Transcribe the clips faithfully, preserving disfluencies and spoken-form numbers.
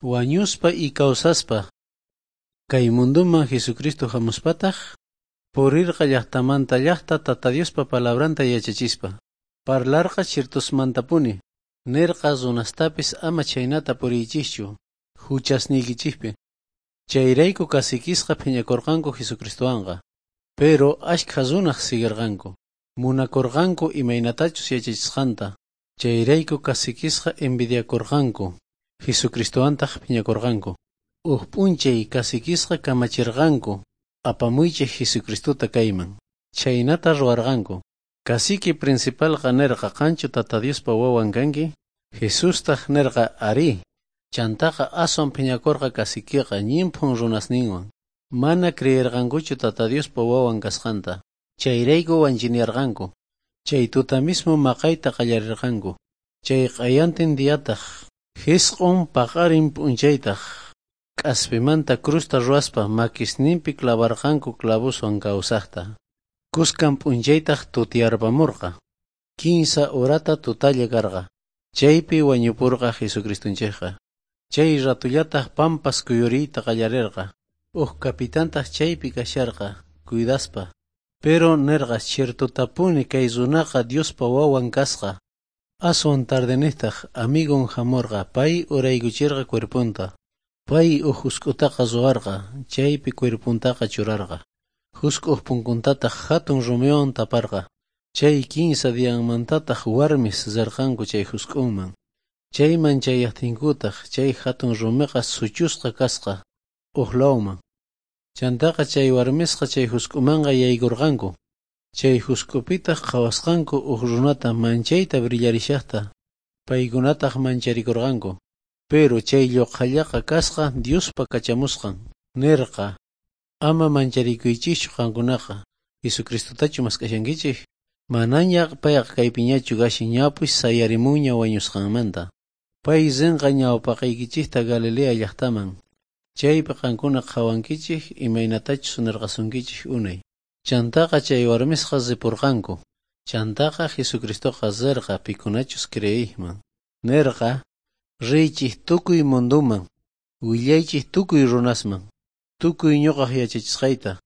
Wañuspa y kawsaspa kay munduman Jesucristo hamuspataj purirqa llaqtamanta llaqta Tata Diospa palabranta yachachispa. Parlarqa chirtusmantapuni. Nerqa runastapis ama chhaynata puriychischu huchasniykichikpi. Chayrayku caciquisqa phiñakurqanku Jesucristowanqa. Pero ashkha runaj siguirqanku. Munakurqanku imaynatachus yachachisqanta. Chayrayku caciquisqa envidiakurqanku. Jesucristowantaq phiñakurqanku. Uj p'unchay caciquisqa kamachirqanku apamuychej Jesucristota kayman. Chhaynata ruwarqanku. Cacique principalqa nerqa qanchu Tata Diospa wawan kanki? Jesustaq nerqa arí. Chantaqa aswan phiñakurqa caciqueqa ñimphun runasninwan. Mana creerqankuchu Tata Diospa wawan kasqanta. Chayrayku wanchinearqanku. Chay tuta mismo maqayta qallarirqanku. Chay q'ayantin diataq jisq'un paqarin p'unchaytaq k'aspimanta crusta ruwaspa makisninpi clavarqanku clavoswan kawsaqta. Kuskan p'unchaytaq tutiyarpamurqa. Kinsa horata tutalla karqa. Chaypi wañupurqa Jesucristonchikqa. Chay ratullataq pampas kuyuriyta qallarirqa. Uj capitantaq chaypi kasharqa, cuidaspa. Pero nerqa ciertotapuni kay runaqa Diospa wawan kasqa. Aswan tardeniqtaq amigon hamurqa pay uraykuchirqa cuerponta. Pay uj husk'utaqa ruwarqa, chaypi cuerpontaqa churarqa. Husk'uq punkuntataq hatun rumiwan taparqa. Chay kinsa dianmantataq warmis rirqanku chay husk'unman. Chayman chayaqtinkutaq chay hatun rumiqa suchusqa kasqa uj lawman. Chantaqa chay warmisqa chay husk'umanqa yaykurqanku. Chay husk'upitaq qhawasqanku uj runata manchayta brillarishaqta. Paykunataq mancharikurqanku. Pero chay lluqhallaqa kasqa Diospa kachamusqan. Nirqa, ama mancharikuychischu qankunaqa. Jesucristotachu mask'ashankichik? Manaña payqa kaypiñachu kashan ñapis sayarimunña wañusqanmanta. Pay rinqa ñawpaqaykichikta Galilea llaqtaman. Chaypi qankuna qhawankichik imaynatachus nirqasunkichik unay. Chantaqa chay warmisqa ripurqanku. Chantaqa Jesucristoqa rirqa pikunachus creeyman. Nirqa, riychik tukuy munduman, willaychik tukuy runasman, tukuy ñuqaq yachachisqayta.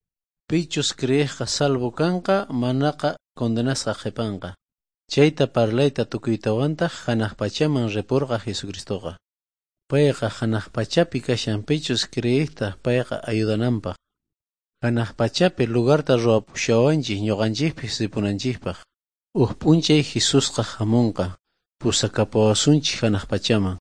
Pichus creejqa salvo kanqa, manaqa condenasqa qhipanqa. Chayta parlayta tukuytawantaq hanaq pachaman ripurqa Jesucristoqa. Payqa hanaq pachapi kashan pichus creejta payqa ayudananpaq. Hanaq pachapi lugarta ruwapushawanchik ñuqanchikpis ripunanchikpaq. Uj p'unchay Jesusqa hamunqa, pusakapawasunchik hanaq pachaman.